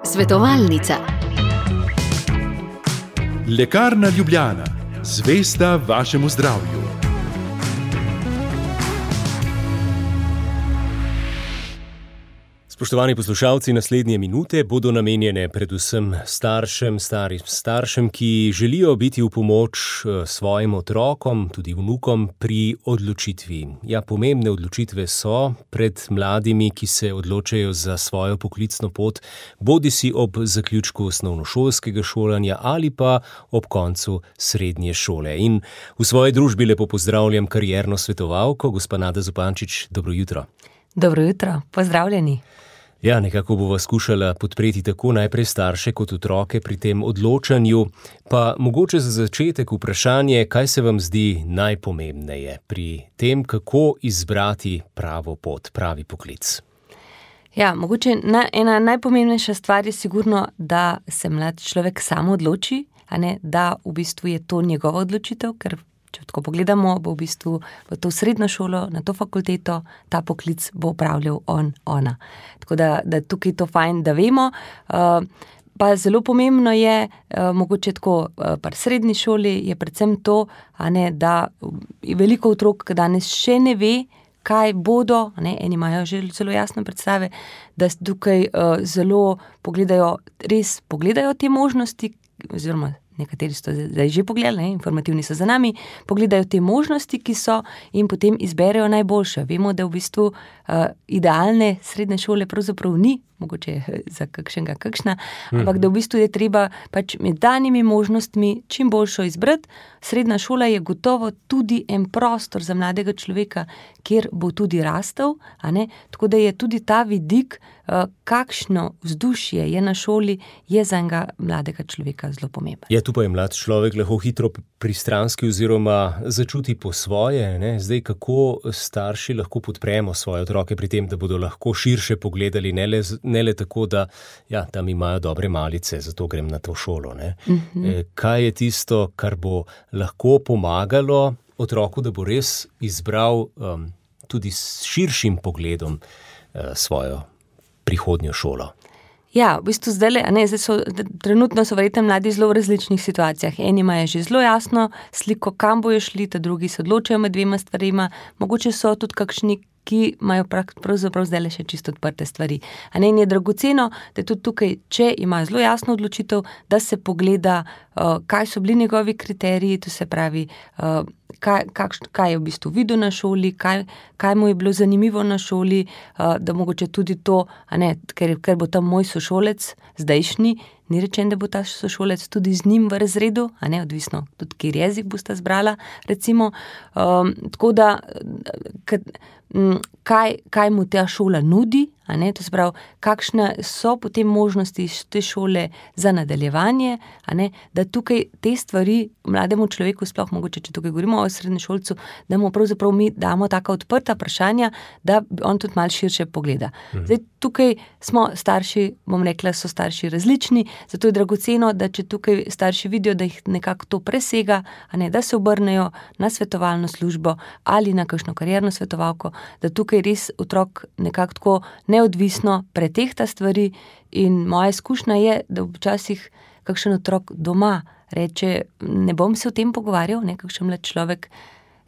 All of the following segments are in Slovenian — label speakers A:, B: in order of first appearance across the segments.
A: Svetovalnica.
B: Lekarna Ljubljana, zvesta vašemu zdravju.
C: Spoštovani poslušalci, naslednje minute bodo namenjene predvsem staršem, ki želijo biti v pomoč svojim otrokom, tudi vnukom pri odločitvi. Ja, pomembne odločitve so pred mladimi, ki se odločajo za svojo poklicno pot, bodisi ob zaključku osnovnošolskega šolanja ali pa ob koncu srednje šole. In v svoji družbi lepo pozdravljam karierno svetovalko, gospa Nada Zupančič. Dobro jutro.
D: Dobro jutro, pozdravljeni.
C: Ja, nekako bova skušala podpreti tako najprej starše kot otroke pri tem odločanju, pa mogoče za začetek vprašanje, kaj se vam zdi najpomembneje pri tem, kako izbrati pravo pot, pravi poklic.
D: Ja, mogoče ena najpomembnejša stvar je sigurno, da se mlad človek sam odloči, a ne, da v bistvu je to njegova odločitev, ker če tako pogledamo, bo v bistvu v to srednjo šolo, na to fakulteto, ta poklic bo upravljal ona. Tako da tukaj to fajn, da vemo. Pa zelo pomembno je, mogoče tako pri srednji šoli, je predvsem to, a ne, da veliko otrok danes še ne ve, kaj bodo, ne, eni imajo že zelo jasne predstave, da tukaj zelo pogledajo te možnosti, oziroma nekateri so zdaj že pogledali, informativni so za nami, pogledajo te možnosti, ki so, in potem izberejo najboljše. Vemo, da v bistvu idealne srednje šole pravzaprav ni, mogoče za kakšna, ampak da v bistvu je treba pač med danimi možnostmi čim boljšo izbrati. Srednja šola je gotovo tudi en prostor za mladega človeka, kjer bo tudi rastel, a ne? Tako da je tudi ta vidik, kakšno vzdušje je na šoli, je za enega mladega človeka zelo pomemben.
C: Ja, tu pa je mlad človek lahko hitro pristranski oziroma začuti po svoje, ne? Zdaj, kako starši lahko podpremo svoje otroke pri tem, da bodo lahko širše pogledali, ne le tako, da ja, tam imajo dobre malice, zato grem na to šolo. Ne? Kaj je tisto, kar bo lahko pomagalo otroku, da bo res izbral tudi s širšim pogledom svojo prihodnjo šolo?
D: Ja, v bistvu trenutno so verjetno mladi zelo v različnih situacijah. Eni imajo že zelo jasno sliko, kam bojo šli, ta drugi se odločajo med dvema stvarima, mogoče so tudi kakšni, ki imajo pravzaprav zdaj še čisto odprte stvari. A ne, in je dragoceno, da tudi tukaj, če ima zelo jasno odločitev, da se pogleda, kaj so bili njegovi kriteriji, to se pravi, kaj je v bistvu videl na šoli, kaj mu je bilo zanimivo na šoli, da mogoče tudi to, a ne, ker bo tam moj sošolec zdajšnji, ni rečen, da bo ta sošolec tudi z njim v razredu, a ne, odvisno tudi, kjer jezik bosta zbrala, recimo, tako da, kaj mu ta šola nudi, a ne, to se pravi, kakšne so potem možnosti te šole za nadaljevanje, a ne, da tukaj te stvari mlademu človeku, sploh mogoče, če tukaj govorimo o srednješolcu, da mu pravzaprav mi damo taka odprta vprašanja, da on tudi malo širše pogleda. Zdaj, tukaj smo starši, bom rekla, so starši različni, zato je dragoceno, da če tukaj starši vidijo, da jih nekako to presega, a ne, da se obrnejo na svetovalno službo ali na kakšno karierno svetovalko, da tukaj res otrok nekako tako neodvisno pretehta stvari, in moja izkušnja je, da včasih kakšen otrok doma reče, ne bom se o tem pogovarjal, kakšen mlad človek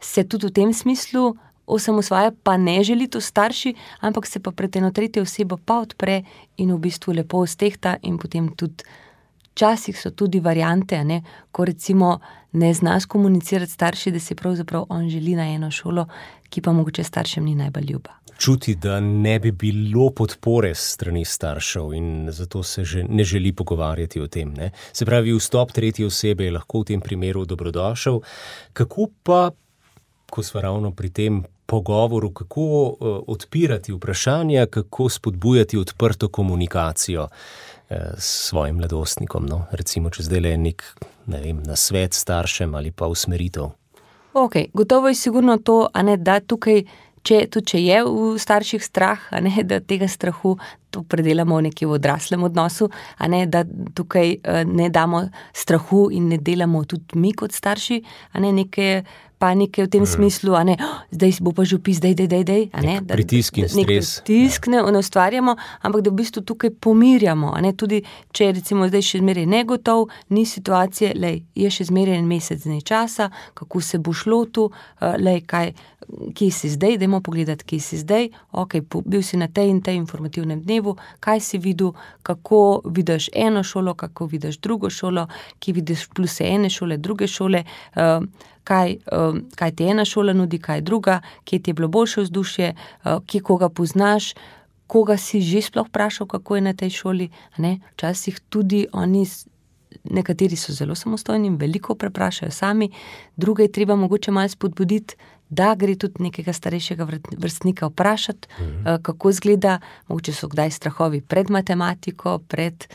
D: se tudi v tem smislu osamosvaja, pa ne želi to starši, ampak se pa pred eno tretjo osebo pa odpre in v bistvu lepo stehta, in potem tudi včasih so tudi variante, a ne, ko recimo ne zna skomunicirati starši, da se pravzaprav on želi na eno šolo, ki pa mogoče staršem ni najbolj ljuba.
C: Čuti, da ne bi bilo podpore strani staršev in zato se že ne želi pogovarjati o tem. Ne? Se pravi, vstop tretje osebe je lahko v tem primeru dobrodošel. Kako pa, ko smo ravno pri tem pogovoru, kako odpirati vprašanja, kako spodbujati odprto komunikacijo s svojim mladostnikom, no? Recimo, če zdaj le nek, ne vem, nasvet staršem ali pa usmeritev.
D: Ok, gotovo je sigurno to, a ne, da tukaj, če je v starših strah, a ne, da tega strahu, to predelamo nekje v odraslem odnosu, a ne, da tukaj ne damo strahu in ne delamo tudi mi kot starši, a ne, neke panike v tem smislu, a ne, zdaj bo pa že vpis, dej, a ne.
C: Pritisk in stres.
D: Nek pritisk ne ustvarjamo, ampak da v bistvu tukaj pomirjamo, a ne, tudi če recimo zdaj še zmeraj negotov, ni situacije, je še zmeraj en mesec dni časa, kako se bo šlo tu, kje si zdaj, dajmo pogledati, kje si zdaj, bil si na tej in tej informativnem dnevu, kaj si videl, kako vidiš eno šolo, kako vidiš drugo šolo, kje vidiš pluse ene šole, druge šole, kaj ti ena šola nudi, kaj druga, kje ti je bilo boljše vzdušje, kje koga poznaš, koga si že sploh vprašal, kako je na tej šoli, ne? Včasih tudi oni, nekateri so zelo samostojni in veliko preprašajo sami, druge je treba mogoče malo spodbuditi, da gre tudi nekega starejšega vrstnika vprašati, kako izgleda, mogoče so kdaj strahovi pred matematiko, pred,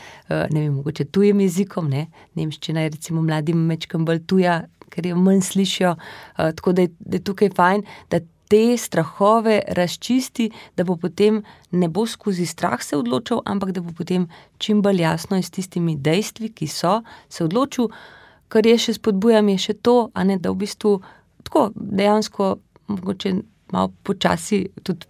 D: mogoče tujim jezikom, ne, nemščina je recimo mladim mečkam bolj tuja, ker jo manj slišijo, tako da je tukaj fajn, da te strahove razčisti, da bo potem ne bo skozi strah se odločil, ampak da bo potem čim bolj jasno in s tistimi dejstvi, ki so, se odločil, kar je še spodbujam, je še to, a ne, da v bistvu tako dejansko mogoče malo počasi tudi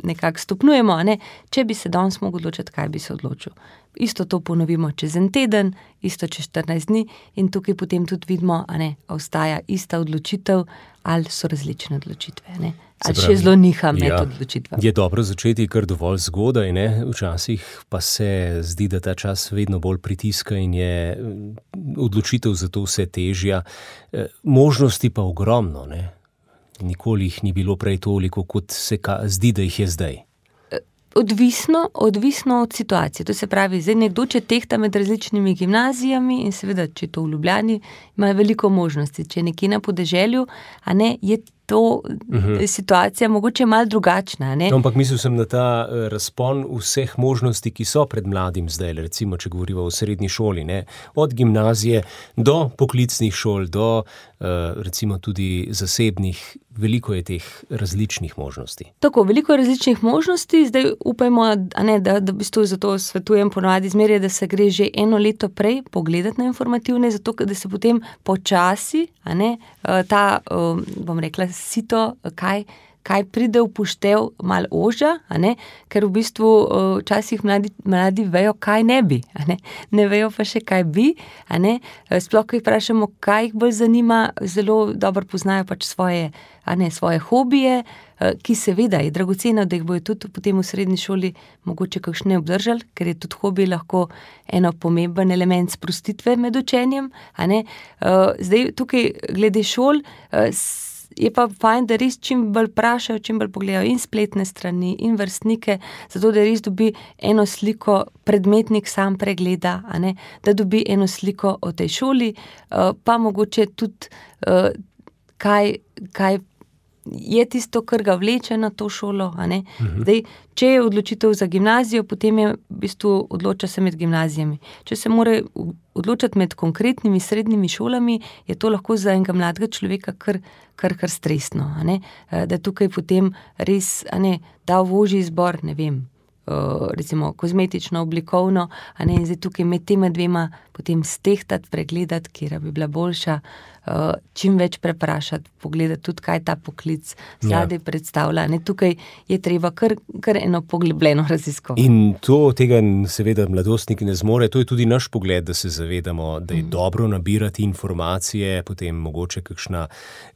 D: nekako stopnjujemo, a ne, če bi se danes mogel odločiti, kaj bi se odločil. Isto to ponovimo čez en teden, isto čez 14 dni in tukaj potem tudi vidimo, a ne, ostaja ista odločitev ali so različne odločitve, ne. Ali še zelo niha med odločitvami.
C: Je dobro začeti kar dovolj zgodaj, ne? Včasih pa se zdi, da ta čas vedno bolj pritiska in je odločitev za to vse težja. Možnosti pa ogromno, ne? Nikoli jih ni bilo prej toliko, kot se zdi, da jih je zdaj.
D: Odvisno od situacije. To se pravi, zdaj nekdo, če tehta med različnimi gimnazijami in seveda, če to v Ljubljani, ima veliko možnosti. Če nekje na podeželju, a ne, je to situacija mogoče malo drugačna, ne?
C: Ampak mislil sem na ta razpon vseh možnosti, ki so pred mladim zdaj, recimo, če govorimo o srednji šoli, ne? Od gimnazije do poklicnih šol, do recimo tudi zasebnih, veliko je teh različnih možnosti.
D: Tako, veliko je različnih možnosti, zdaj upajmo, a ne, da v bistvu zato svetujem ponavadi zmeraj, da se gre že eno leto prej pogledati na informativne, zato da se potem počasi, a ne, ta, bom rekla, sito, kaj pride v poštev malo ožja, a ne, ker v bistvu včasih mladi vejo, kaj ne bi, a ne vejo pa še, kaj bi, a ne, sploh, ko jih vprašamo, kaj jih bolj zanima, zelo dobro poznajo pač svoje hobije, ki seveda je dragoceno, da jih bojo tudi potem v srednji šoli mogoče kakšne obdržali, ker je tudi hobij lahko eno pomemben element sprostitve med učenjem, a ne. Zdaj tukaj glede šol, je pa fajn, da res čim bolj vprašajo, čim bolj pogledajo in spletne strani in vrstnike, zato da res dobi eno sliko, predmetnik sam pregleda, a ne, da dobi eno sliko o tej šoli, pa mogoče tudi kaj je tisto, kar ga vleče na to šolo, a ne. Zdaj, če je odločitev za gimnazijo, potem je v bistvu odloča se med gimnazijami. Če se mora odločati med konkretnimi srednjimi šolami, je to lahko za enega mladega človeka kar stresno, a ne. Da tukaj potem res, a ne, da v ožji izbor, ne vem, recimo kozmetično, oblikovno, a ne, in zdaj tukaj med tema dvema potem stehtati, pregledati, katera bi bila boljša, čim več preprašati, pogledati tudi, kaj ta poklic zadaj predstavlja. Ne, tukaj je treba kar eno poglobljeno raziskovanje.
C: In tega seveda mladostniki ne zmore, to je tudi naš pogled, da se zavedamo, da je dobro nabirati informacije, potem mogoče kakšna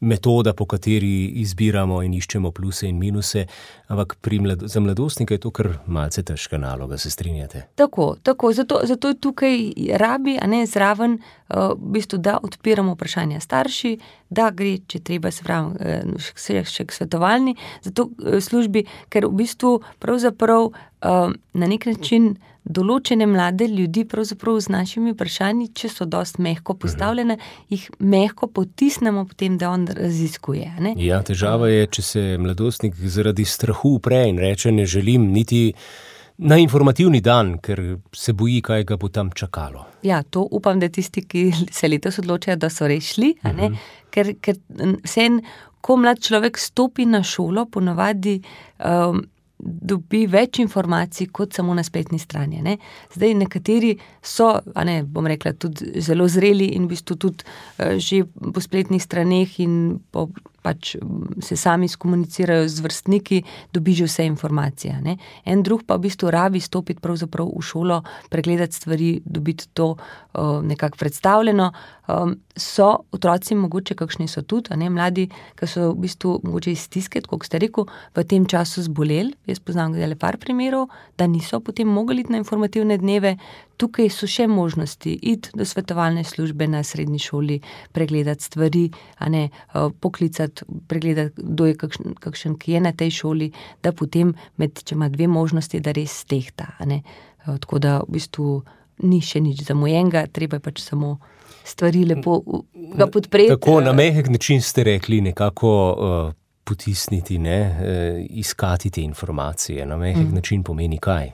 C: metoda, po kateri izbiramo in iščemo pluse in minuse, ampak za mladostnika je to kar malce težka naloga, se strinjate?
D: Tako, zato je tukaj rabi, a ne, zraven, v bistvu, da odpiramo vprašanja starši, da gre, če treba, se pravi, še k svetovalni, zato službi, ker v bistvu pravzaprav na nek način določene mlade ljudi pravzaprav z našimi vprašanji, če so dosti mehko postavljene, jih mehko potisnemo potem, da on raziskuje, ne?
C: Ja, težava je, če se mladostnik zaradi strahu upre in reče, ne želim niti na informativni dan, ker se boji, kaj ga bo tam čakalo.
D: Ja, to upam, da tisti, ki se letos odločajo, da so res šli, a ne, ker vseeno, ko mlad človek stopi na šolo, ponavadi dobi več informacij kot samo na spletni strani. Ne. Zdaj nekateri so, bom rekla, tudi zelo zreli in v bistvu tudi že po spletnih straneh in pač se sami skomunicirajo z vrstniki, dobi že vse informacije. Ne. En drug pa v bistvu rabi stopiti pravzaprav v šolo, pregledati stvari, dobiti to nekako predstavljeno. So otroci mogoče, kakšni so tudi, mladi, ki so v bistvu mogoče iz stiske, kot ste rekel, v tem času zboleli. Jaz poznam le par primerov, da niso potem mogli iti na informativne dneve. Tukaj so še možnosti iti do svetovalne službe na srednji šoli, pregledati stvari, poklicati, pregledati, kdo je kakšen, ki je na tej šoli, da potem, če ima dve možnosti, da res stehta. Tako da v bistvu ni še nič zamujenega, treba je pač samo stvari lepo ga podpreti.
C: Tako na mehek način ste rekli, nekako potisniti, iskati te informacije. Na mehek način pomeni kaj?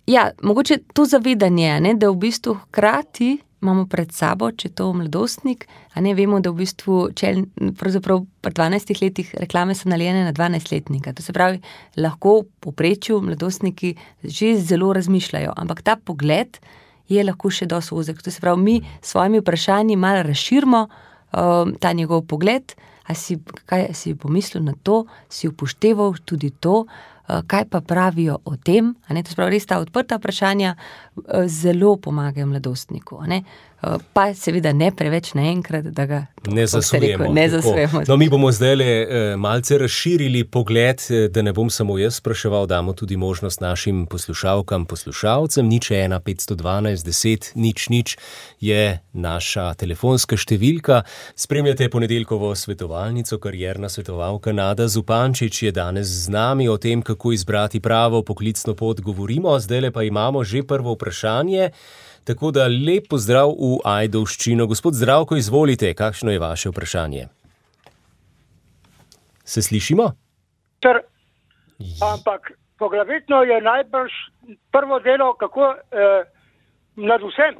D: Ja, mogoče to zavedanje, da v bistvu hkrati imamo pred sabo, če to mladostnik, vemo, da v bistvu, pravzaprav pri 12 letih reklame so narejene na 12-letnika. To se pravi, lahko v povprečju mladostniki že zelo razmišljajo, ampak ta pogled je lahko še dosti ozek. To se pravi, mi s svojimi vprašanji malo razširimo ta njegov pogled, kaj si pomislil na to, si upošteval tudi to, kaj pa pravijo o tem, to se pravi, res ta odprta vprašanja zelo pomagajo mladostniku, pa seveda ne preveč naenkrat, da ga
C: ne zasujemo.
D: No,
C: mi bomo zdaj malce razširili pogled, da ne bom samo jaz spraševal, damo tudi možnost našim poslušalkam, poslušalcem. 01 512 10 0 je naša telefonska številka. Spremljate ponedeljkovo svetovalnico, karierna svetovalka Nada Zupančič je danes z nami. O tem, kako izbrati pravo poklicno pot, govorimo. Zdajle pa imamo že prvo vprašanje. Tako da lep pozdrav v Ajdovščino. Gospod Zdravko, izvolite, kakšno je vaše vprašanje? Se slišimo?
A: Ampak poglavitno je najbrž prvo delo, kako nad vsem,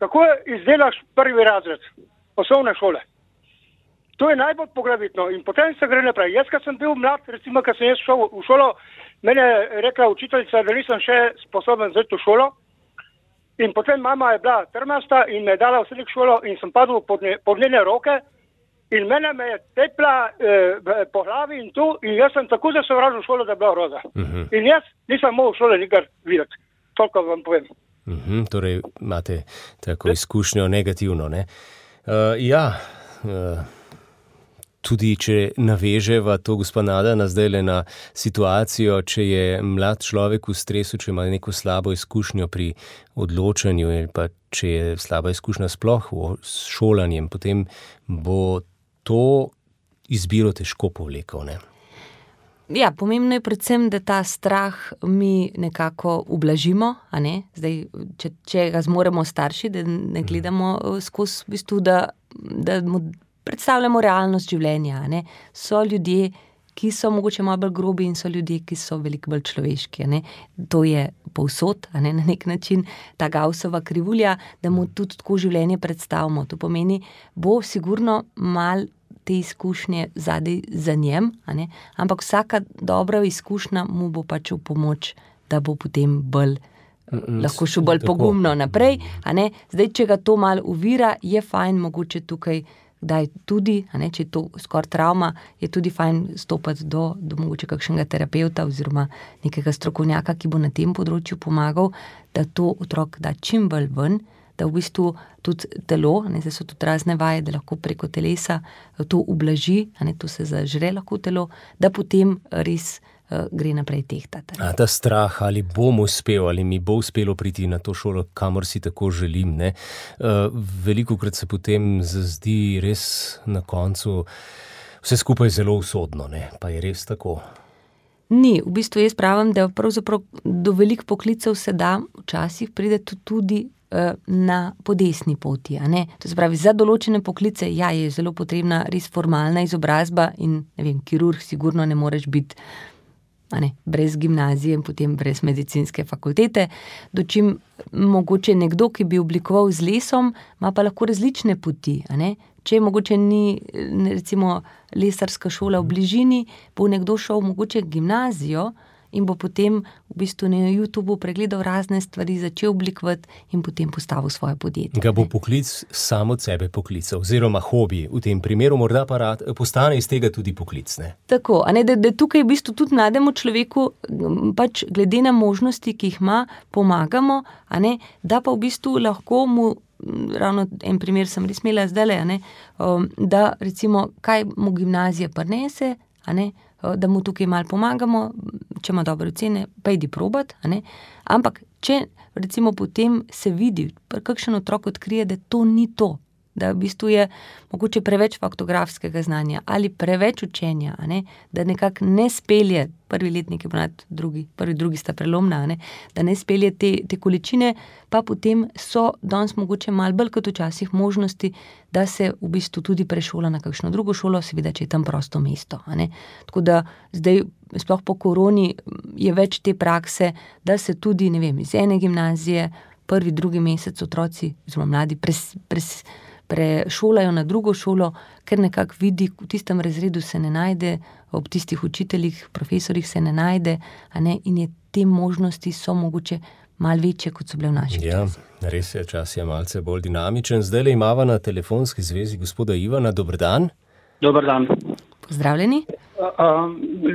A: kako izdelaš prvi razred osnovne šole. To je najbolj poglavitno in potem se gre naprej. Jaz, kad sem bil mlad, recimo, kad sem jaz šel v šolo, mene je rekla učiteljica, da nisem še sposoben zeti v šolo. In potem mama je bila trmasta in me je dala v srednjo šolo in sem padel pod njene roke in mene me je tepla po glavi in tu in jaz sem tako zasovražil šolo, da je bila groza. In jaz nisem mogel šole nikar videti. Toliko vam povem.
C: Torej imate tako izkušnjo negativno, ne? Tudi če naveževa to gospa Nada zdajle na situacijo, če je mlad človek v stresu, če ima neko slabo izkušnjo pri odločanju ali pa če je slaba izkušnja sploh s šolanjem, potem bo to izbiro težko povlekel, ne?
D: Ja, pomembno je predvsem, da ta strah mi nekako ublažimo, Zdaj, če ga zmoremo starši, da ne gledamo skozi v bistvu, da mu predstavljamo realnost življenja, So ljudje, ki so mogoče malo bolj grobi in so ljudje, ki so veliko bolj človeški, To je povsod, na nek način ta Gaussova krivulja, da mu tudi tako življenje predstavimo. To pomeni, bo sigurno malo te izkušnje zadaj za njem, ampak vsaka dobra izkušnja mu bo pač v pomoč, da bo potem bolj lahko šel bolj pogumno naprej, Zdaj, če ga to malo ovira, je fajn mogoče tukaj kdaj tudi, če je to skoraj travma, je tudi fajn stopiti do mogoče kakšnega terapevta oziroma nekega strokovnjaka, ki bo na tem področju pomagal, da to otrok da čim bolj ven, da v bistvu tudi telo, zdaj so tudi razne vaje, da lahko preko telesa to ublaži, to se zažre lahko telo, da potem res gre naprej tehtati.
C: Ta strah, ali bom uspel, ali mi bo uspelo priti na to šolo, kamor si tako želim, velikokrat se potem zazdi res na koncu vse skupaj zelo usodno, pa je res tako.
D: Ni, v bistvu jaz pravim, da pravzaprav do veliko poklicev se da včasih pride tudi na podesni poti, To se pravi, za določene poklice, je zelo potrebna res formalna izobrazba in, kirurg sigurno ne moreš biti brez gimnazije in potem brez medicinske fakultete, dočim mogoče nekdo, ki bi oblikoval z lesom, ima pa lahko različne poti, Če mogoče ni, recimo, lesarska šola v bližini, bo nekdo šel mogoče gimnazijo, in bo potem v bistvu na YouTubeu pregledal razne stvari, začel oblikovati in potem postavil svoje podjetje.
C: Ga bo poklic sam od sebe poklical, oziroma hobi v tem primeru, morda pa postane iz tega tudi poklic, ne?
D: Tako, da tukaj v bistvu tudi mlademu človeku pač glede na možnosti, ki jih ima, pomagamo, da pa v bistvu lahko mu, ravno en primer sem res imela zdajle, da recimo, kaj mu gimnazija prinese, da mu tukaj malo pomagamo, če ima dobre ocene, pa idi probat, ampak če recimo potem se vidi, kakšen otrok odkrije, da to ni to, da v bistvu je mogoče preveč faktografskega znanja ali preveč učenja, da nekako ne spelje, prvi letnik je ponad prvi, drugi sta prelomna, da ne spelje te količine, pa potem so danes mogoče malo bolj kot včasih možnosti, da se v bistvu tudi prešola na kakšno drugo šolo, seveda, če je tam prosto mesto. Tako da zdaj, sploh po koroni, je več te prakse, da se tudi, iz ene gimnazije prvi, drugi mesec otroci, zelo mladi, prešolajo na drugo šolo, ker nekako vidi, v tistem razredu se ne najde, ob tistih učiteljih, profesorjih se ne najde, in je te možnosti so mogoče malo večje, kot so bile v naših časih.
C: Res je, čas je malce bolj dinamičen. Zdajle imava na telefonski zvezi gospoda Ivana. Dober dan.
E: Dober dan.
D: Pozdravljeni.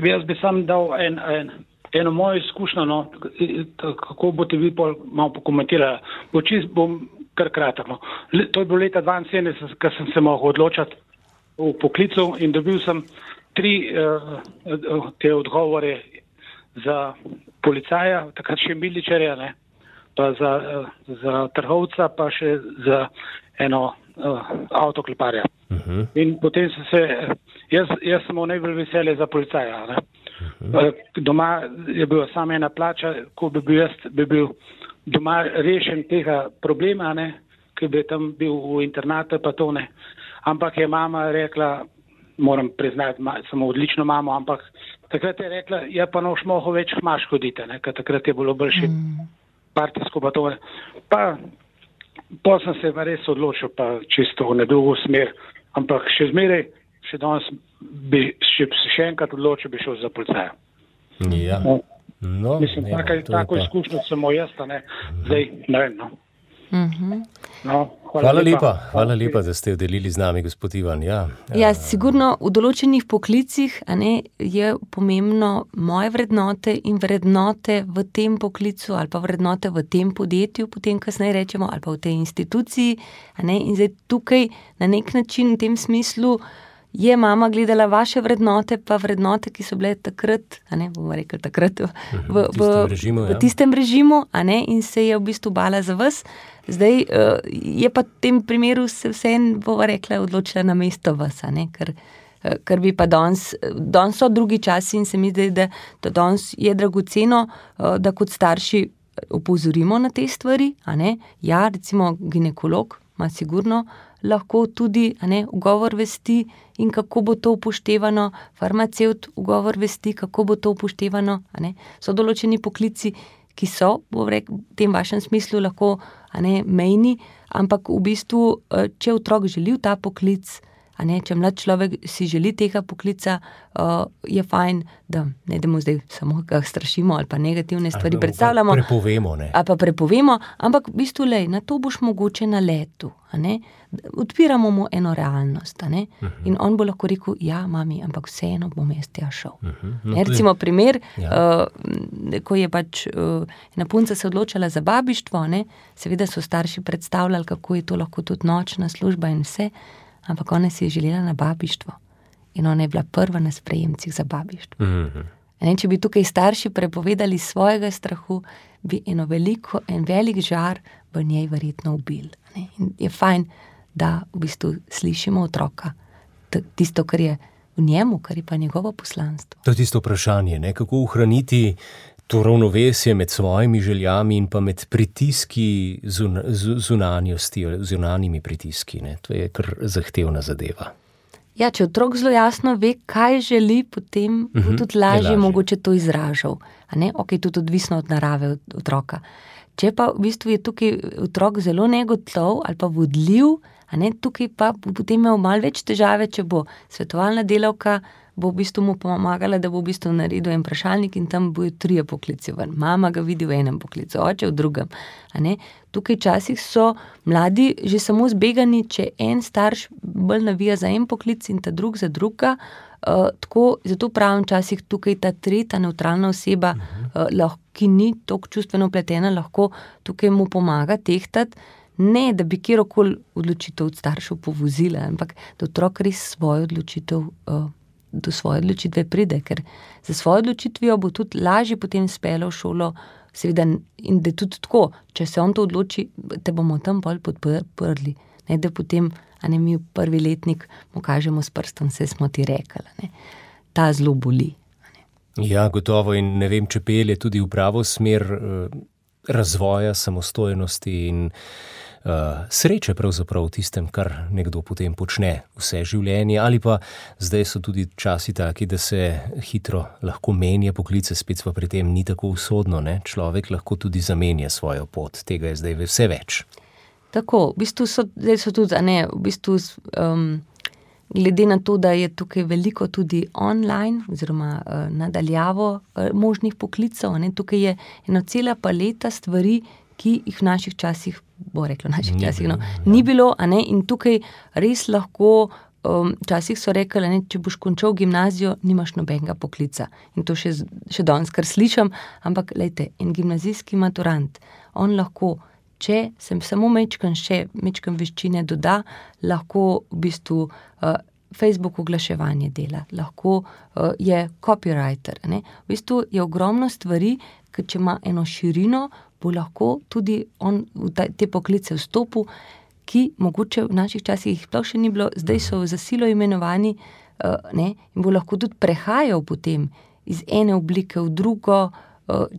E: Jaz bi sam dal eno mojo izkušnjo, kako boste vi malo pokomentirali. Bom kar kratek. To je bilo leta 1972, ko sem se mogel odločati v poklicu in dobil sem 3 te odgovore za policaja, takrat še miličarja, pa za trgovca, pa še za eno avtokleparja. In potem jaz sem imel najbolj veselje za policaja. Doma je bila samo ena plača, ko bi bil doma rešen tega problema, ki bi tam bil v internatu, pa to ne. Ampak je mama rekla, moram priznati, samo odlično mamo, ampak takrat je rekla, pa noš mogo več hmaš hoditi, ker takrat je bilo boljše partijsko, pa to ne. Pa sem se res odločil, pa čisto v drugo smer, ampak še zmeraj, še danes bi še enkrat odločil, bi šel za policaja.
C: Ja.
E: Mislim, tako izkušnjo sem jaz, zdaj ne vem.
C: Hvala lepa, da ste jo delili z nami, gospod Ivan.
D: Ja, sigurno v določenih poklicih je pomembno moje vrednote in vrednote v tem poklicu ali pa vrednote v tem podjetju, potem kasneje rečemo, ali pa v tej instituciji. In zdaj tukaj na nek način v tem smislu je mama gledala vaše vrednote, pa vrednote, ki so bile takrat, bomo rekli takrat, v tistem režimu, in se je v bistvu bala za vas. Zdaj je pa v tem primeru se vseeno, bova rekla, odločila na mesto vas, ker bi pa danes so drugi časi in se mi zdi, da danes je dragoceno, da kot starši opozorimo na te stvari, Ja, recimo ginekolog ima sigurno lahko tudi ugovor vesti in kako bo to upoštevano, farmacevt ugovor vesti, kako bo to upoštevano. So določeni poklici, ki so v tem vašem smislu lahko mejni, ampak v bistvu, če otrok želi v ta poklic, če mlad človek si želi tega poklica, je fajn, da ne damo zdaj samo ga strašimo ali pa negativne stvari predstavljamo. Prepovemo, ampak v bistvu, na to boš mogoče na letu. Odpiramo mu eno realnost. In on bo lahko rekel, ja, mami, ampak vseeno bom jaz tja šel. Recimo primer, ko je pač ena punca se odločala za babištvo, seveda so starši predstavljali, kako je to lahko tudi nočna služba in vse, ampak ona si je želela na babištvo in ona je bila prva na sprejemcih za babištvo. Če bi tukaj starši prepovedali svojega strahu, bi en velik žar v njej verjetno ubil. In je fajn, da v bistvu slišimo otroka, tisto, kar je v njemu, kar je pa njegovo poslanstvo.
C: To je tisto vprašanje, kako ohraniti to ravnovesje med svojimi željami in pa med pritiski zunanjosti, zunanjimi pritiski. To je kar zahtevna zadeva.
D: Ja, če otrok zelo jasno ve, kaj želi, potem bo tudi lažje mogoče to izražal. Ok, tudi odvisno od narave otroka. Če pa v bistvu je tukaj otrok zelo negotov ali pa vodljiv, tukaj pa bo potem imel malo več težave, če bo svetovalna delavka bo v bistvu mu pomagala, da bo v bistvu naredil en vprašalnik in tam bojo 3 poklici ven. Mama ga vidi v enem poklicu, oče v drugem. A ne? Tukaj časih so mladi že samo zbegani, če en starš bolj navija za en poklic in ta drug za druga. Tako, zato pravim časih tukaj ta tretja nevtralna oseba, ki ni toliko čustveno vpletena, lahko tukaj mu pomaga tehtati, ne da bi kjerokoli odločitev od staršev povozila, ampak da otrok res do svoje odločitve pride, ker za svojo odločitvijo bo tudi lažje potem speljal v šolo, seveda, in da je tudi tako, če se on to odloči, te bomo tam bolj podprli, ne da potem, a ne mi v prvi letnik mu kažemo s prstom, se smo ti rekli, ne. Ta zelo boli.
C: Ja, gotovo, in ne vem, če pelje tudi v pravo smer razvoja, samostojnosti in sreče pravzaprav v tistem, kar nekdo potem počne vse življenje, ali pa zdaj so tudi časi taki, da se hitro lahko menja poklice, spet pa pri tem ni tako usodno, ne? Človek lahko tudi zamenja svojo pot, tega je zdaj vse več.
D: Tako, v bistvu so tudi, glede na to, da je tukaj veliko tudi online oziroma nadaljavo možnih poklicov, tukaj je ena cela paleta stvari, ki jih v naših časih, ni bilo, in tukaj res lahko, včasih so rekli, če boš končal gimnazijo, nimaš nobenega poklica. In to še danes kar slišim, ampak lejte, en gimnazijski maturant, on lahko, če sem samo mečkan veščine doda, lahko v bistvu Facebook oglaševanje dela, lahko je copywriter, ne. V bistvu je ogromno stvari, ker če ima eno širino, bo lahko tudi on v te poklice vstopil, ki mogoče v naših časih jih sploh še ni bilo, zdaj so za silo imenovani, ne, in bo lahko tudi prehajal potem iz ene oblike v drugo,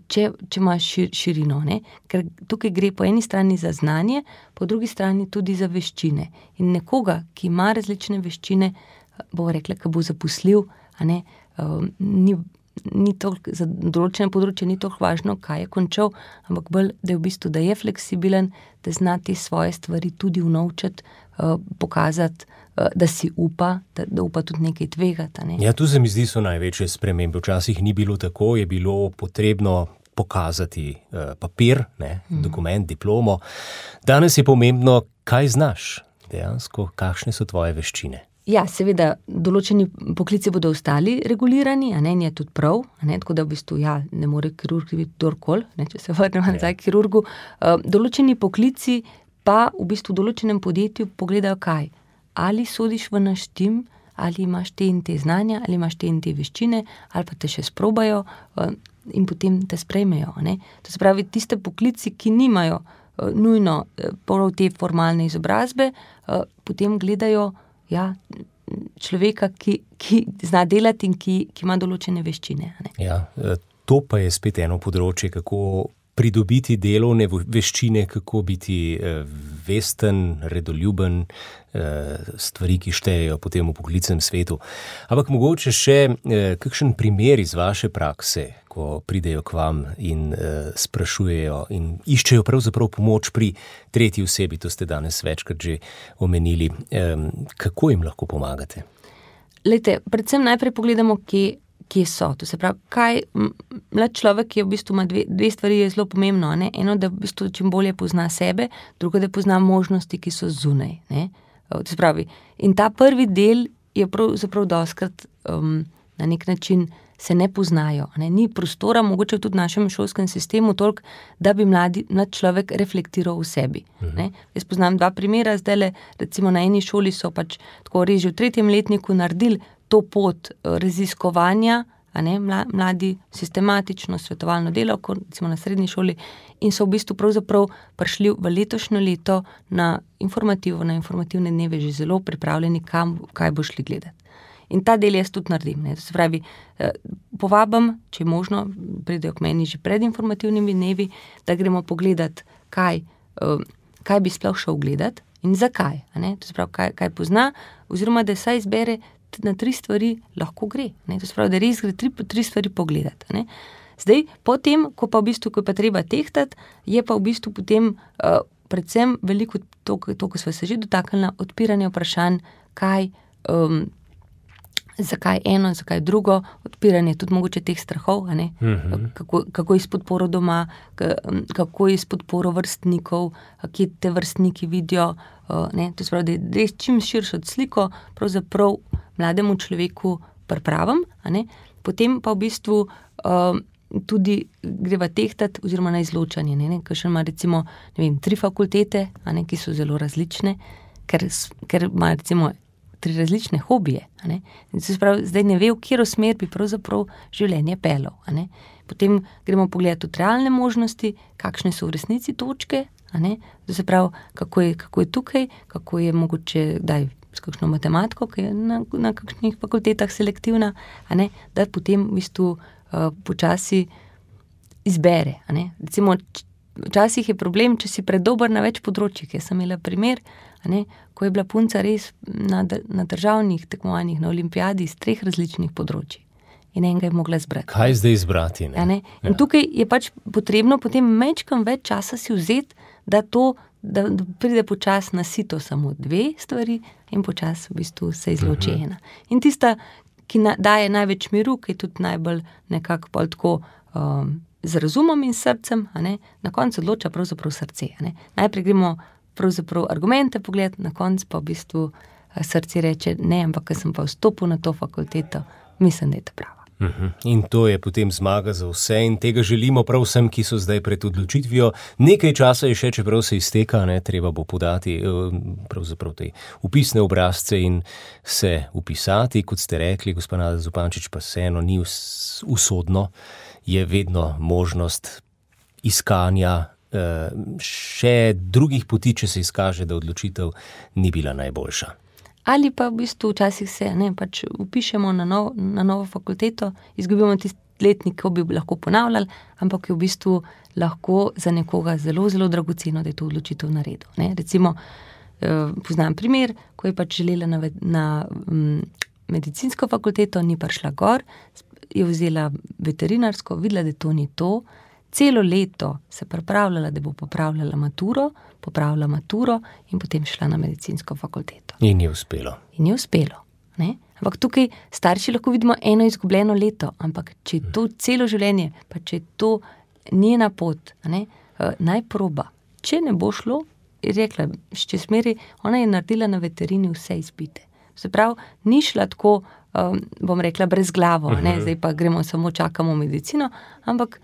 D: če ima širino, ne? Ker tukaj gre po eni strani za znanje, po drugi strani tudi za veščine. In nekoga, ki ima različne veščine, bo rekla, ki bo zaposljiv, ni toliko, za določene področje ni toliko važno, kaj je končal, ampak bolj, da je v bistvu, da je fleksibilen, da zna te svoje stvari tudi unovčiti, pokazati, da si upa, da upa tudi nekaj tvegati. Ne?
C: Ja, tu se mi zdi so največje spremembe. Včasih ni bilo tako, je bilo potrebno pokazati papir, dokument, diplomo. Danes je pomembno, kaj znaš dejansko, kakšne so tvoje veščine.
D: Ja, seveda, določeni poklici bodo ostali regulirani, in je tudi prav, tako da v bistvu, ne more kirurg biti kdorkoli, če se vrnemo nazaj k kirurgu. Določeni poklici pa v bistvu v določenem podjetju pogledajo kaj? Ali sodiš v naš tim, ali imaš te in te znanja, ali imaš te in te veščine, ali pa te še sprobajo in potem te sprejmejo. Ne? To se pravi, tiste poklici, ki nimajo nujno prav te formalne izobrazbe, potem gledajo človeka, ki zna delati in ki ima določene veščine. Ne?
C: Ja, to pa je spet eno področje, kako pridobiti delovne veščine, kako biti vesten, redoljuben, stvari, ki štejejo potem v poklicnem svetu. Ampak mogoče še kakšen primer iz vaše prakse, ko pridejo k vam in sprašujejo in iščejo pravzaprav pomoč pri tretji osebi, to ste danes večkrat že omenili. Kako jim lahko pomagate?
D: Lejte, predvsem najprej pogledamo, kje so. To se pravi, kaj mlad človek je v bistvu ima dve stvari je zelo pomembno, ne? Eno, da v bistvu čim bolje pozna sebe, drugo, da pozna možnosti, ki so zunaj, ne? To se pravi, in ta prvi del je pravzaprav dostikrat na nek način se ne poznajo, ne? Ni prostora, mogoče tudi v našem šolskem sistemu toliko, da bi mlad človek reflektiral v sebi, ne? Jaz poznam 2 primera, zdajle, recimo na eni šoli so pač tako res že v 3. letniku naredili to pot raziskovanja, mladi sistematično svetovalno delo, recimo na srednji šoli, in so v bistvu pravzaprav prišli v letošnjo leto na informativne dneve že zelo pripravljeni, kaj bo šli gledati. In ta del jaz tudi naredim. Ne. To se pravi, povabim, če je možno, pridejo k meni že pred informativnimi dnevi, da gremo pogledati, kaj bi sploh šel gledati in zakaj. To se pravi, kaj pozna, oziroma da saj izbere na 3 stvari lahko gre. Ne? To se pravi, da res gre 3 stvari pogledati. Ne? Zdaj, potem, ko pa treba tehtati, je pa v bistvu potem predvsem veliko to, ko smo se že dotaknili, odpiranje vprašanj, kaj zakaj eno, zakaj drugo, odpiranje tudi mogoče teh strahov, kako je s podporo doma, kako je s podporo vrstnikov, kje te vrstniki vidijo, to se pravi, da je čim širšo sliko pravzaprav mlademu človeku pripravim, potem pa v bistvu tudi greva tehtati oziroma na izločanje, kakšen ima recimo, 3 fakultete, ki so zelo različne, ker ima recimo 3 različne hobije. In se pravi, zdaj ne ve, v katero smer bi pravzaprav življenje pelal. Potem gremo pogledati tudi realne možnosti, kakšne so v resnici točke, se pravi, kako je tukaj, kako je mogoče s kakšno matematiko, ki je na kakšnih fakultetah selektivna, da potem v bistvu počasi izbere. Recimo, včasih je problem, če si predober na več področjih. Jaz sem imela primer, ko je bila punca res na državnih tekmovanjih, na olimpijadi iz 3 različnih področji. In enega je mogla izbrati.
C: Kaj zdaj izbrati?
D: In tukaj je pač potrebno potem majčkeno več časa si vzeti, da pride počas na sito samo 2 stvari in počas v bistvu se izloči ena. In tista, ki daje največ miru, ki je tudi najbolj nekako bolj tako z razumom in srcem, na koncu odloča pravzaprav srce. Najprej gremo pravzaprav argumente pogled, na koncu pa v bistvu srce reče ne, ampak ker sem pa vstopil na to fakulteto, mislim, da je to prava.
C: In to je potem zmaga za vse in tega želimo prav vsem, ki so zdaj pred odločitvijo. Nekaj časa je še, čeprav se izteka, treba bo podati pravzaprav te upisne obrazce in se upisati, kot ste rekli, gospa Nada Zupančič, pa vseeno ni usodno, je vedno možnost iskanja še drugih poti, če se izkaže, da odločitev ni bila najboljša.
D: Ali pa v bistvu včasih se pač upišemo na novo fakulteto, izgubimo tisti letnik, ko bi lahko ponavljali, ampak je v bistvu lahko za nekoga zelo, zelo dragoceno, da je to odločitev naredil. Recimo, poznam primer, ko je pač želela na medicinsko fakulteto, ni prišla gor, je vzela veterinarsko, videla, da to ni to, celo leto se pripravljala, da bo popravila maturo in potem šla na medicinsko fakulteto.
C: In je uspelo.
D: Ampak tukaj starši lahko vidimo eno izgubljeno leto, ampak če je to celo življenje, pa če je to njena pot, naj proba. Če ne bo šlo, je rekla, še smeri, ona je naredila na veterini vse izpite. Se pravi, ni šla tako, bom rekla, brez glavo, zdaj pa gremo samo čakamo medicino, ampak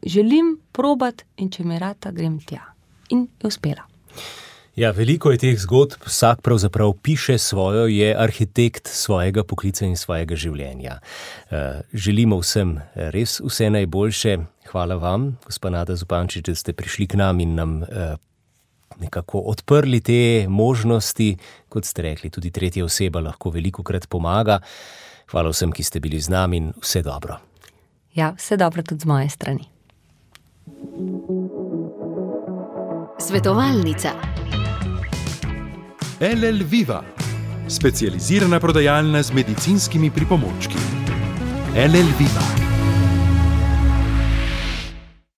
D: želim probati in če mi rata, grem tja. In je uspela.
C: Ja, veliko je teh zgodb, vsak pravzaprav piše svojo, je arhitekt svojega poklica in svojega življenja. Želimo vsem res vse najboljše. Hvala vam, gospa Nada Zupančič, da ste prišli k nam in nam nekako odprli te možnosti. Kot ste rekli, tudi tretja oseba lahko velikokrat pomaga. Hvala vsem, ki ste bili z nami in vse dobro.
D: Ja, vse dobro tudi z moje strani.
F: Svetovalnica.
B: LL Viva, specializirana prodajalna z medicinskimi pripomočki. LL Viva.